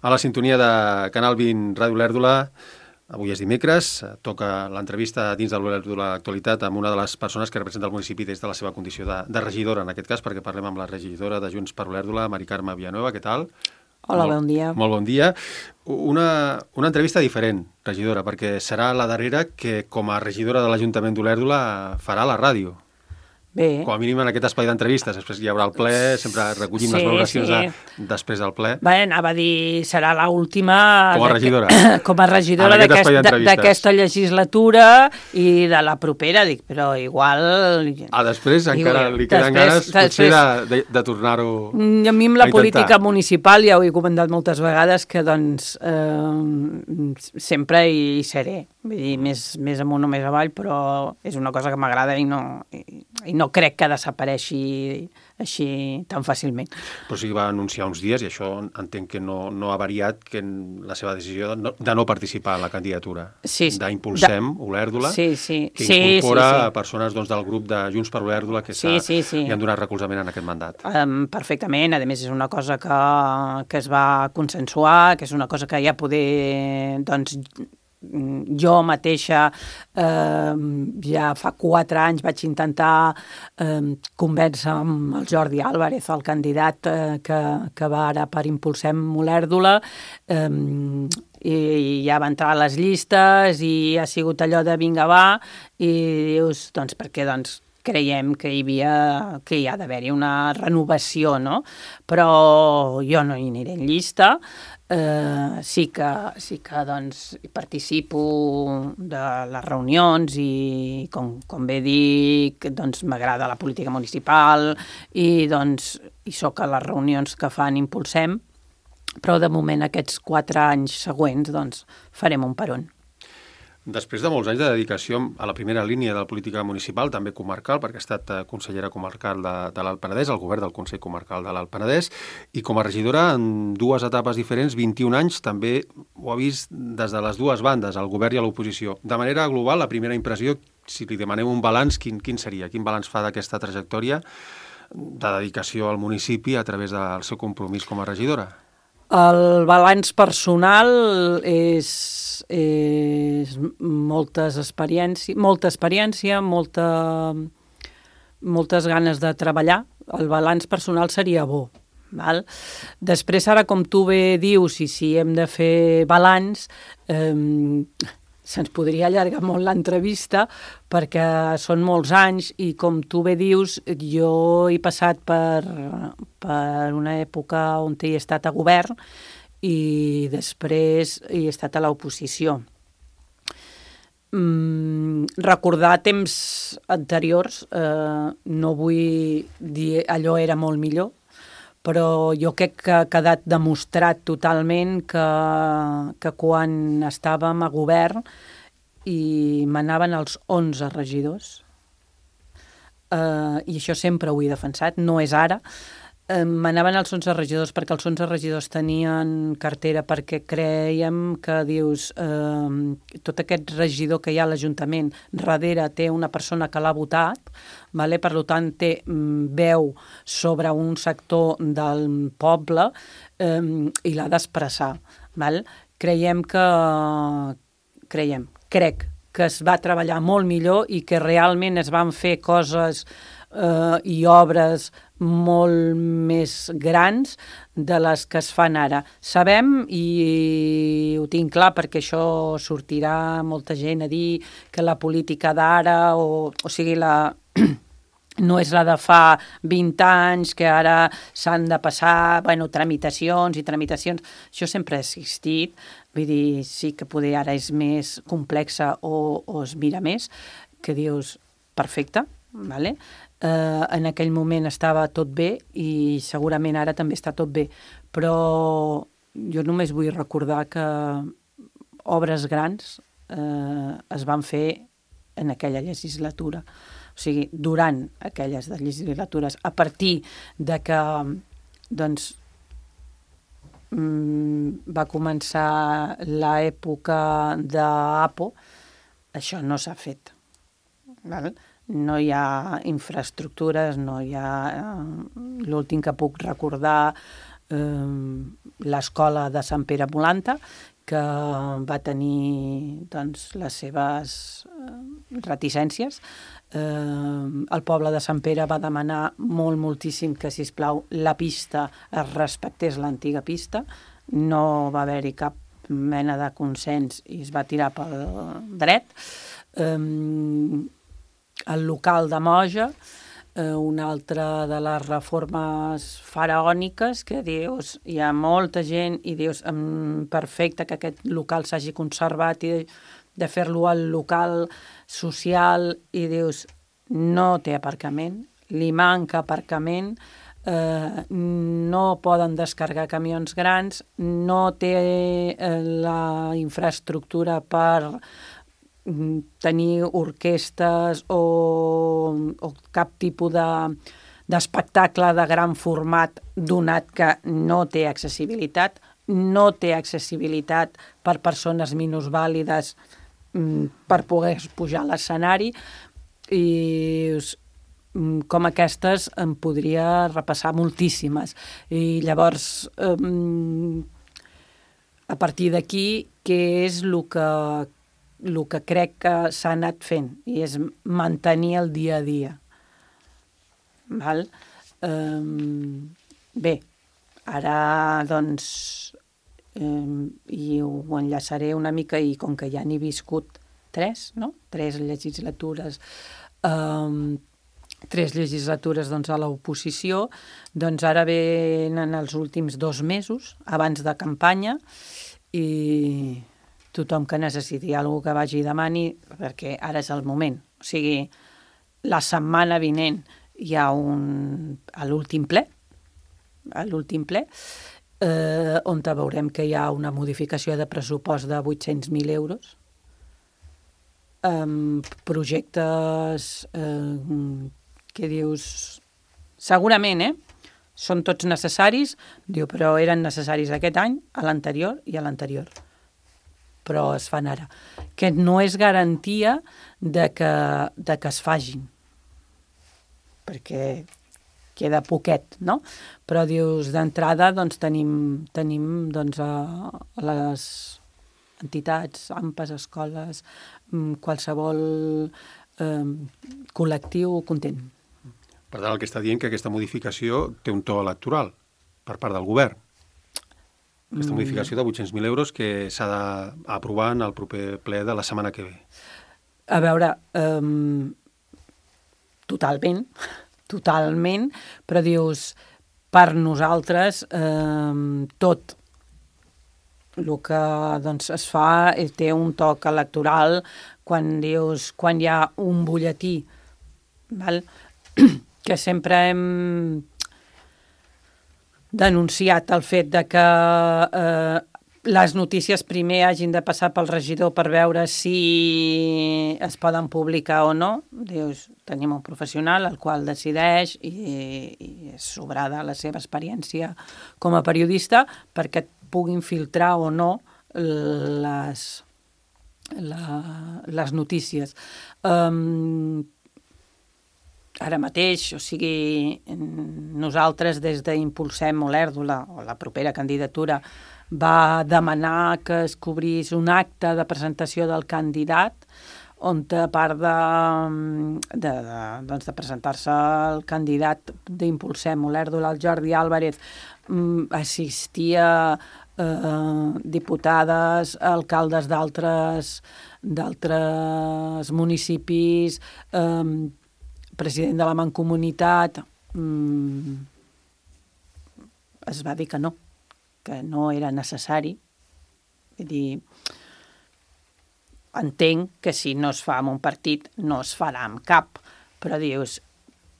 A la sintonia de Canal 20 Ràdio Olèrdola, avui és dimecres, toca l'entrevista dins de l'Olèrdola Actualitat amb una de les persones que representa el municipi des de la seva condició de regidora, en aquest cas, perquè parlem amb la regidora de Junts per Olèrdola, Mari Carme Villanueva. Què tal? Hola, bon dia. Molt bon dia. Una entrevista diferent, regidora, perquè serà la darrera que, com a regidora de l'Ajuntament d'Olèrdola, farà la ràdio. Bé. Com a mínim en aquest espai d'entrevistes. Després hi haurà el ple, sempre recollim les valoracions després del ple. Bé, anava a dir, serà l'última... Com a regidora. Com a regidora d'aquesta legislatura i de la propera, dic, però igual... Després encara li queden ganes potser de tornar-ho a intentar. A mi amb la política municipal ja ho he comentat moltes vegades que doncs sempre hi seré. Vull dir, més amunt o més avall, però és una cosa que m'agrada i no crec que desapareixi així tan fàcilment. Però sí que va anunciar uns dies, i això entenc que no ha variat, que la seva decisió de no participar en la candidatura d'Impulsem Olèrdola, que incorpora persones del grup de Junts per Olèrdola que li han donat recolzament en aquest mandat. Perfectament, a més és una cosa que es va consensuar, que és una cosa que ja poder... Jo mateixa ja fa 4 anys vaig intentar convèncer amb el Jordi Álvarez, el candidat que va ara per Impulsem Olèrdola, i ja va entrar a les llistes i ha sigut allò de vinga va, i dius, perquè creiem que hi ha d'haver-hi una renovació, no? Però jo no hi aniré en llista. Sí que participo de les reunions i, com bé dic, m'agrada la política municipal i soc a les reunions que fan Impulsem, però de moment aquests 4 anys següents farem un peron. Després de molts anys de dedicació a la primera línia de la política municipal, també comarcal, perquè ha estat consellera comarcal de l'Alt Penedès, al govern del Consell Comarcal de l'Alt Penedès, i com a regidora en 2 etapes diferents, 21 anys, també ho ha vist des de les 2 bandes, el govern i l'oposició. De manera global, la primera impressió, si li demanem un balanç, quin seria? Quin balanç fa d'aquesta trajectòria de dedicació al municipi a través del seu compromís com a regidora? El balanç personal és molta experiència, moltes ganes de treballar. El balanç personal seria bo. Val? Després, ara, com tu bé dius, i si hem de fer balanç, se'ns podria allargar molt l'entrevista perquè són molts anys i, com tu bé dius, jo he passat per una època on he estat a govern i després he estat a l'oposició. Recordar temps anteriors, no vull dir allò era molt millor, però jo crec que ha quedat demostrat totalment que quan estàvem a govern i manaven els 11 regidors, i això sempre ho he defensat, no és ara, manaven els 11 regidors perquè els 11 regidors tenien cartera, perquè creiem que, dius, tot aquest regidor que hi ha a l'Ajuntament darrere té una persona que l'ha votat, per tant té veu sobre un sector del poble i l'ha d'expressar. Crec que es va treballar molt millor i que realment es van fer coses i obres molt més grans de les que es fan ara. Sabem, i ho tinc clar perquè això sortirà molta gent a dir que la política d'ara, o sigui, no és la de fa 20 anys, que ara s'han de passar tramitacions i tramitacions. Això sempre ha existit. Vull dir, sí que poder ara és més complexa o es mira més, que dius, perfecte, vale? En aquell moment estava tot bé i segurament ara també està tot bé, però jo només vull recordar que obres grans es van fer en aquella legislatura, o sigui, durant aquelles legislatures, a partir de que va començar l'època d'APO, això no s'ha fet, val? No hi ha infraestructures, no hi ha... L'últim que puc recordar l'escola de Sant Pere Molanta, que va tenir doncs, les seves reticències. El poble de Sant Pere va demanar moltíssim que, sisplau, la pista es respectés l'antiga pista. No va haver-hi cap mena de consens i es va tirar pel dret. El local de Moja, una altra de les reformes faraòniques, que dius, hi ha molta gent i dius, perfecte que aquest local s'hagi conservat i de fer-lo al local social, i dius, no té aparcament, li manca aparcament, no poden descarregar camions grans, no té la infraestructura per tenir orquestes o cap tipus d'espectacle de gran format, donat que no té accessibilitat per persones minusvàlides per poder pujar a l'escenari, i com aquestes en podria repassar moltíssimes. I llavors, a partir d'aquí, què és el que crec que s'ha anat fent? I és mantenir el dia a dia. Val? Bé, ara, doncs, i ho enllaçaré una mica, i com que ja n'he viscut 3 legislatures, 3 legislatures doncs, a l'oposició, doncs ara venen els últims 2 mesos, abans de campanya, i tothom que necessiti alguna que vagi i demani, perquè ara és el moment. O sigui, la setmana vinent hi ha l'últim ple, on veurem que hi ha una modificació de pressupost de 800.000 euros, projectes que dius, segurament, són tots necessaris, diu, però eren necessaris aquest any, a l'anterior i a l'anterior. Però es fan ara. Que no és garantia de que es fagin. Perquè queda poquet, no? Però dius, d'entrada, doncs, tenim doncs, a les entitats, AMPAs, escoles, qualsevol col·lectiu content. Per tant, el que està dient que aquesta modificació té un to electoral per part del govern. Aquesta modificació de 800.000 euros que s'ha d'aprovar en el proper ple de la setmana que ve. A veure, totalment, però dius, per nosaltres, tot el que doncs, es fa té un toc electoral quan dius, quan hi ha un butlletí, val? Que sempre hem denunciat el fet de que les notícies primer hagin de passar pel regidor per veure si es poden publicar o no. Dius, tenim un professional el qual decideix i és sobrada la seva experiència com a periodista perquè et puguin filtrar o no les notícies. Ara mateix, o sigui, nosaltres des d'Impulsem Olèrdola, o la propera candidatura, va demanar que es cobrís un acte de presentació del candidat on, a part de presentar-se el candidat d'Impulsem Olèrdola, el Jordi Álvarez, assistia diputades, alcaldes d'altres municipis, president de la Mancomunitat, es va dir que no era necessari. Vull dir, entenc que si no es fa amb un partit no es farà amb cap, però dius,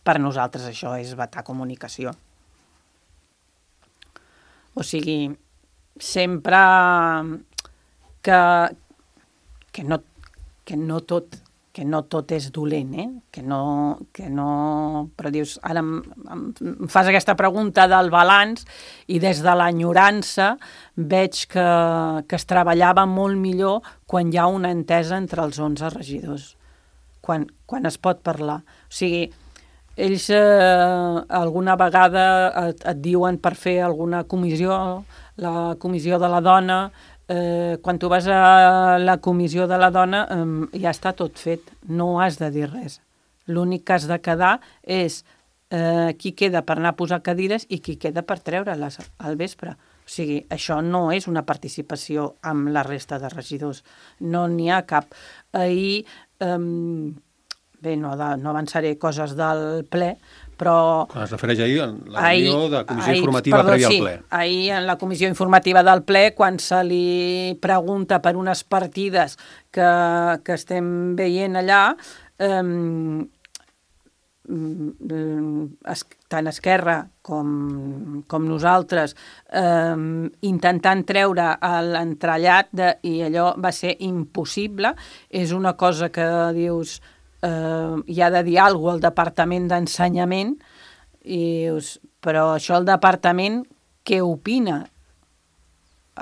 per nosaltres això és vetar comunicació. O sigui, sempre que no tot és dolent, que no... Però dius, ara em fas aquesta pregunta del balanç i des de l'enyorança veig que es treballava molt millor quan hi ha una entesa entre els 11 regidors, quan es pot parlar. O sigui, ells alguna vegada et diuen per fer alguna comissió, la comissió de la dona, quan tu vas a la comissió de la dona ja està tot fet, no has de dir res. L'únic que has de quedar és qui queda per anar a posar cadires i qui queda per treure-les al vespre. O sigui, això no és una participació amb la resta de regidors. No n'hi ha cap. Ahir, bé, no avançaré coses del ple, però... Quan es refereix ahir a la reunió de comissió informativa prèvia al ple. Sí, ahir en la comissió informativa del ple, quan se li pregunta per unes partides que estem veient allà, tant Esquerra com nosaltres intentant treure l'entrellat i allò va ser impossible. És una cosa que dius hi ha de dir alguna cosa al Departament d'Ensenyament i dius, però això el Departament què opina?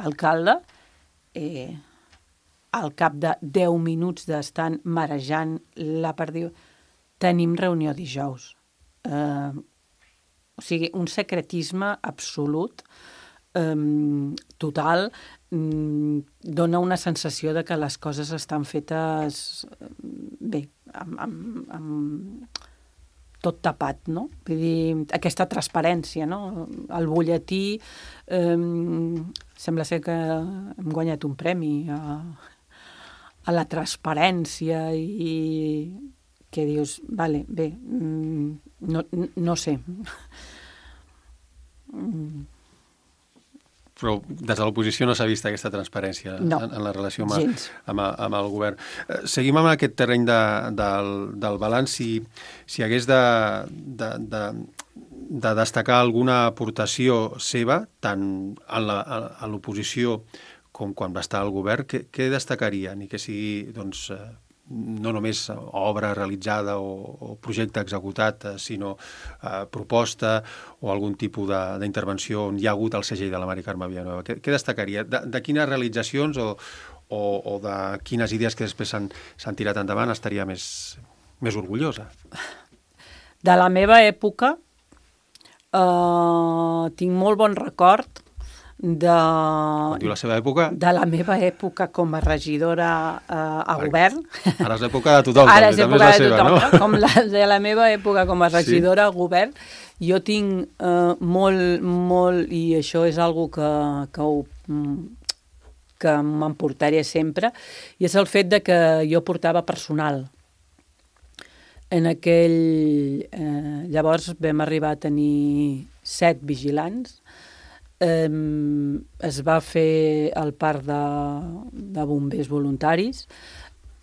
Alcalde, al cap de 10 minuts d'estar marejant la perdiu, tenim reunió dijous. O sigui, un secretisme absolut, total, dona una sensació de que les coses estan fetes bé, amb tot tapat, no? Vull dir, aquesta transparència, no? El butlletí, sembla ser que hem guanyat un premi a la transparència i que dius, vale, bé, no sé. Però des de l'oposició no s'ha vist aquesta transparència en la relació amb el govern. Seguim amb aquest terreny del balanç. Si hagués de destacar alguna aportació seva, tant a l'oposició com quan va estar al govern, què destacaria? Ni que sigui, doncs, no només obra realitzada o projecte executat, sinó proposta o algun tipus d'intervenció on hi ha hagut el segell de la Mari Carme Villanueva. Què destacaria? De quines realitzacions o de quines idees que després s'han tirat endavant estaria més orgullosa? De la meva època tinc molt bon record Quan diu la seva època? De la meva època com a regidora a govern. Ara és l'època de tothom. Ara és l'època de tothom, no? Com de la meva època com a regidora a govern, jo tinc molt, i això és algo que m'emportaré sempre, i és el fet de que jo portava personal. En llavors vam arribar a tenir 7 vigilants. Es va fer el parc de bombers voluntaris.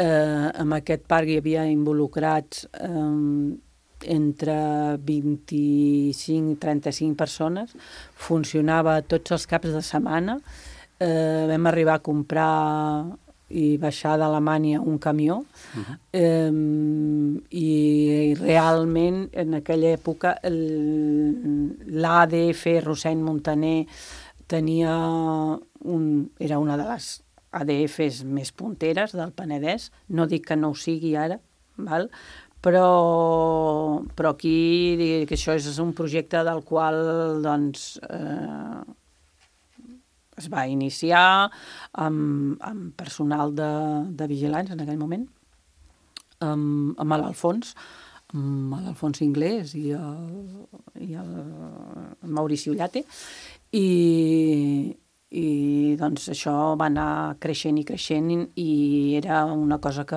En aquest parc hi havia involucrats entre 25 i 35 persones. Funcionava tots els caps de setmana. Vam arribar a comprar i baixar d'Alemanya un camió i realment en aquella època l'ADF Rosseny Montaner era una de les ADFs més punteres del Penedès, no dic que no ho sigui ara, val? Però aquí que això és un projecte del qual doncs es va iniciar amb personal de vigilants en aquell moment, amb l'Alfons Inglés i el Maurici Ullate, i doncs això va anar creixent i era una cosa que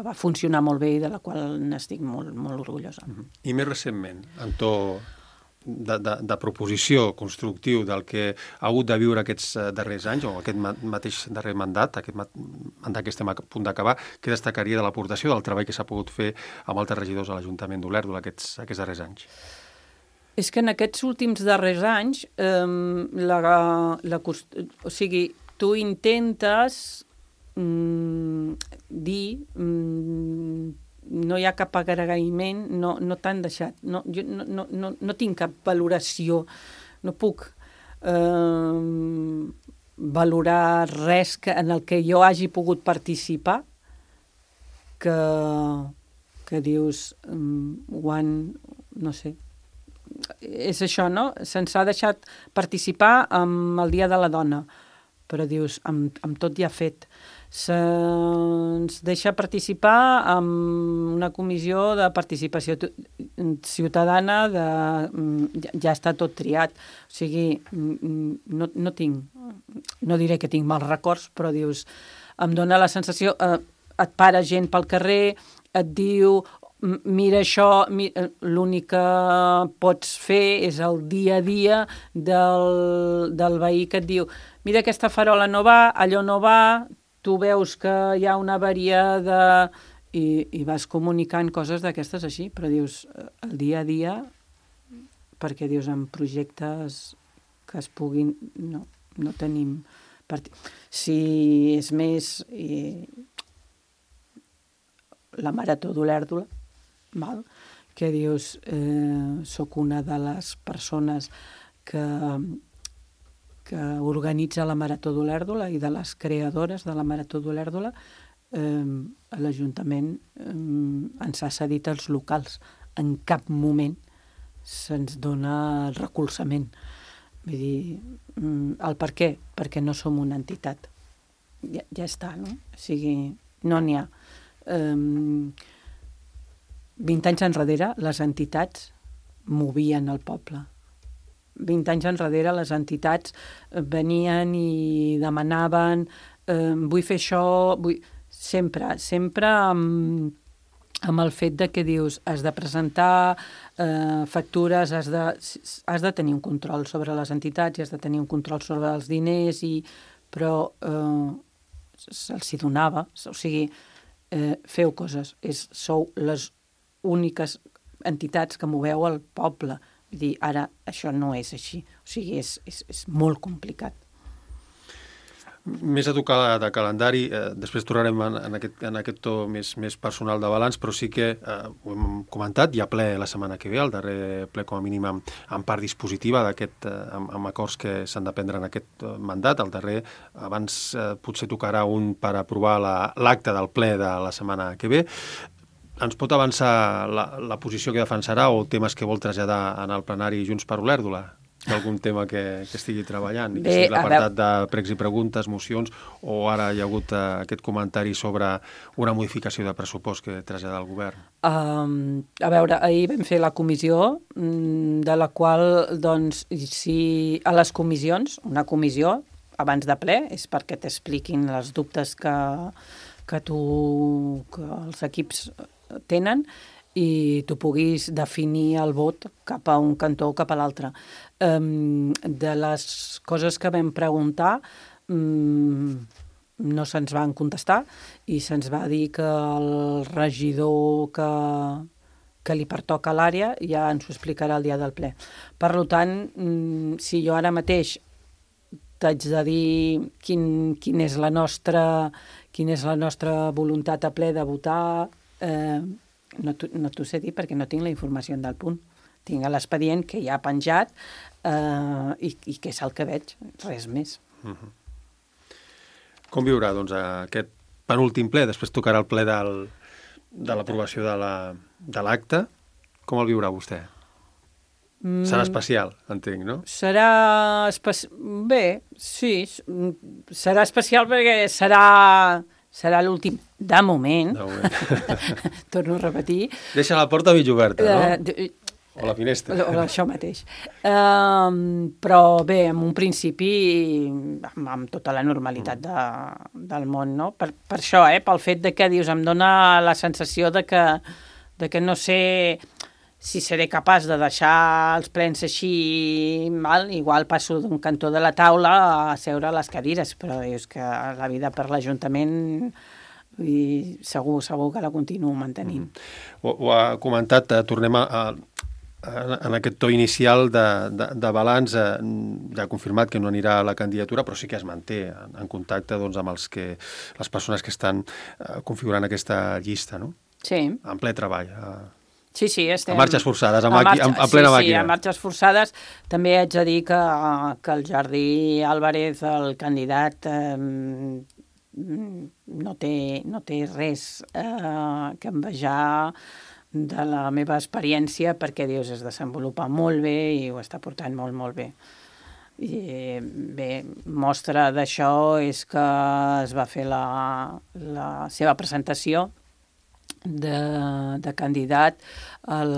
va funcionar molt bé i de la qual n'estic molt, molt orgullosa. I més recentment, en to de proposició constructiu del que ha hagut de viure aquests darrers anys o aquest mateix darrer mandat, aquest mandat que estem a punt d'acabar, què destacaria de l'aportació del treball que s'ha pogut fer amb altres regidors a l'Ajuntament d'Olèrdola aquests darrers anys? És que en aquests últims darrers anys o sigui, tu intentes dir no hi ha cap agraïment, no t'han deixat, jo no tinc cap valoració, no puc valorar res en el que jo hagi pogut participar que que dius, no sé, és això, no? Se'ns ha deixat participar amb el Dia de la Dona, però dius, amb tot ja fet. Se'ns deixa participar amb una comissió de participació ciutadana, ja està tot triat. O sigui, no diré que tinc mals records, però dius, em dóna la sensació, et para gent pel carrer, et diu, mira això, l'únic que pots fer és el dia a dia del veí que et diu, mira, aquesta farola no va, allò no va, tu veus que hi ha una avaria i vas comunicant coses d'aquestes així, però dius, el dia a dia, perquè dius, en projectes que es puguin, no tenim... Si és més la Marató d'Olèrdola, que dius, soc una de les persones que organitza la Marató d'Olèrdola i de les creadores de la Marató d'Olèrdola, l'Ajuntament ens ha cedit els locals. En cap moment se'ns dona el recolzament. Vull dir, el per què? Perquè no som una entitat. Ja està, no? O sigui, no n'hi ha. 20 anys enrere les entitats movien el poble. 20 anys enrere les entitats venien i demanaven vull fer això, sempre amb el fet de que dius has de presentar factures, has de tenir un control sobre les entitats i has de tenir un control sobre els diners, però se'ls donava, o sigui, feu coses, sou les úniques entitats que moveu el poble. Vull dir, ara això no és així. O sigui, és molt complicat. Més a tocar de calendari, després tornarem en aquest to més personal de balanç, però sí que ho hem comentat, hi ha ple la setmana que ve, el darrer ple com a mínim en part dispositiva amb acords que s'han de prendre en aquest mandat. El darrer, abans potser tocarà un per aprovar l'acte del ple de la setmana que ve. Ens pot avançar la posició que defensarà o temes que vol traslladar en el plenari Junts per Olèrdola? Algun tema que estigui treballant, que sigui l'apartat de pregs i preguntes, mocions, o ara hi ha hagut aquest comentari sobre una modificació de pressupost que trasllada el govern? A veure, ahir vam fer la comissió, de la qual, doncs, si a les comissions, una comissió abans de ple, és perquè t'expliquin els dubtes que els equips tenen, i tu puguis definir el vot cap a un cantó o cap a l'altre. De les coses que vam preguntar, no se'ns van contestar i se'ns va dir que el regidor que li pertoca a l'àrea ja ens ho explicarà el dia del ple. Per tant, si jo ara mateix t'haig de dir quina és la nostra voluntat a ple de votar, no t'ho sé dir perquè no tinc la informació del punt. Tinc l'expedient que hi ha penjat i que és el que veig, res més. Com viurà doncs, aquest penúltim ple? Després tocarà el ple de l'aprovació de l'acte. Com el viurà vostè? Serà especial, entenc, no? Serà especial... Bé, sí, serà especial perquè serà l'últim, de moment. Torno a repetir. Deixa la porta mig oberta, no? O la finestra. O això mateix. Però bé, en un principi, amb tota la normalitat del món, no? Per això, pel fet de que, dius, em dóna la sensació de que no sé si seré capaç de deixar els plens així, igual passo d'un cantó de la taula a seure a les cadires, però és que la vida per l'Ajuntament segur que la continuo mantenint. Ho ha comentat, tornem en aquest to inicial de balanç, ja ha confirmat que no anirà a la candidatura, però sí que es manté en contacte amb les persones que estan configurant aquesta llista, no? Sí. En ple treball. Sí, estem... A marxes forçades, a plena màquina. Sí, a marxes forçades. També haig de dir que el Jordi Álvarez, el candidat, no té res que envejar de la meva experiència, perquè dius, es desenvolupa molt bé i ho està portant molt, molt bé. I bé, mostra d'això és que es va fer la seva presentació de candidat al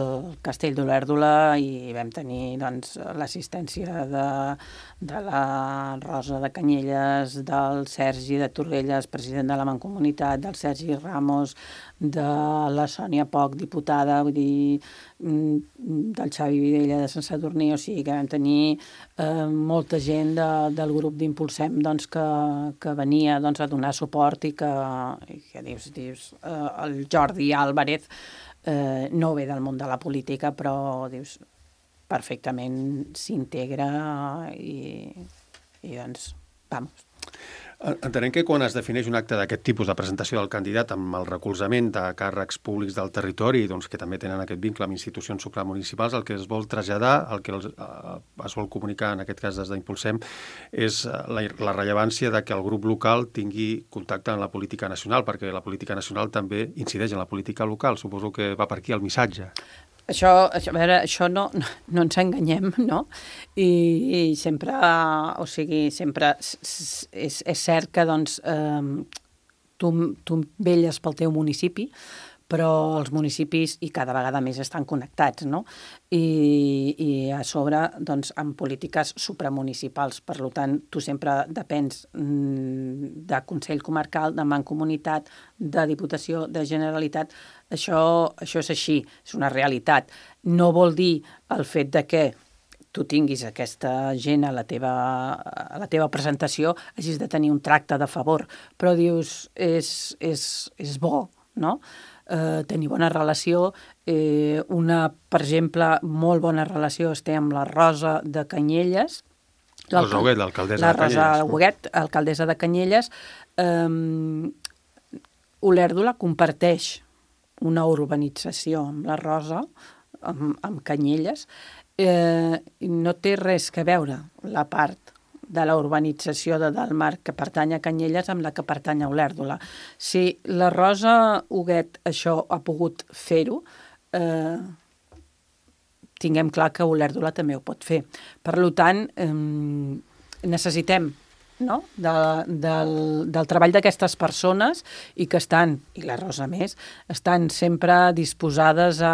Castell d'Olèrdola i vam tenir doncs, l'assistència de la Rosa de Canyelles, del Sergi de Torrelles, president de la Mancomunitat, del Sergi Ramos, de la Sònia Poch, diputada, vull dir, del Xavi Vidella de Sant Sadurní, o sigui que vam tenir molta gent del grup d'Impulsem doncs, que venia doncs, a donar suport i que dius, el Jordi Álvarez no ve del món de la política, però dius, perfectament s'integra i doncs, vamos. Entenem que quan es defineix un acte d'aquest tipus de presentació del candidat amb el recolzament de càrrecs públics del territori, doncs, que també tenen aquest vincle amb institucions supramunicipals, el que es vol traslladar, el que es vol comunicar, en aquest cas des d'Impulsem, és la rellevància de que el grup local tingui contacte amb la política nacional, perquè la política nacional també incideix en la política local. Suposo que va per aquí el missatge. Això no ens enganyem, no? I sempre, o sigui, sempre és cert que doncs, tu velles pel teu municipi, però els municipis i cada vegada més estan connectats, no? I a sobre, doncs, amb polítiques supramunicipals. Per tant, tu sempre depens de Consell Comarcal, de Mancomunitat, de Diputació, de Generalitat. Això és així, és una realitat. No vol dir el fet de que tu tinguis aquesta gent a la teva presentació, hagis de tenir un tracte de favor, però dius, és bo, no?, tenir bona relació. Per exemple, molt bona relació té amb la Rosa de Canyelles. Rosa Huguet, l'alcaldessa de Canyelles. La Rosa Huguet, alcaldessa de Canyelles. Olèrdola comparteix una urbanització amb la Rosa, amb Canyelles. No té res que veure la part de la urbanització de Dalmar que pertany a Canyelles amb la que pertany a Olèrdola. Si la Rosa Huguet això ha pogut fer-ho, tinguem clar que Olèrdola també ho pot fer. Per tant, necessitem, no?, del treball d'aquestes persones i que estan, i la Rosa més, estan sempre disposades a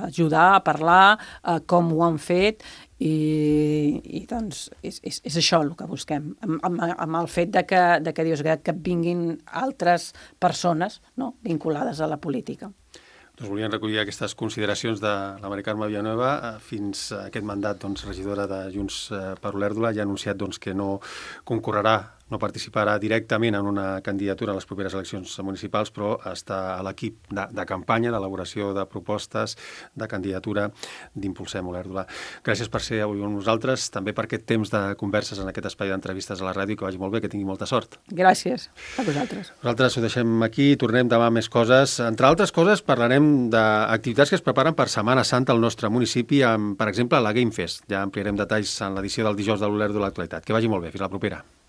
ajudar, a parlar, a com ho han fet i doncs és això el que busquem, amb el fet de que Dios que vinguin altres persones, no?, vinculades a la política. Doncs volien recollir aquestes consideracions de la Mari Carme Villanueva. Fins a aquest mandat, doncs, regidora de Junts per Olèrdola, ja ha anunciat doncs, que no concorrerà, no participarà directament en una candidatura a les properes eleccions municipals, però està a l'equip de campanya, d'elaboració de propostes, de candidatura d'Impulsem Olèrdola. Gràcies per ser avui amb nosaltres, també per aquest temps de converses en aquest espai d'entrevistes a la ràdio, que vagi molt bé, que tingui molta sort. Gràcies a vosaltres. Nosaltres ho deixem aquí, tornem demà amb més coses. Entre altres coses, parlarem d'activitats que es preparen per Setmana Santa al nostre municipi, amb, per exemple, la Game Fest. Ja ampliarem detalls en l'edició del dijous de l'Olèrdola Actualitat. Que vagi molt bé, fins la propera.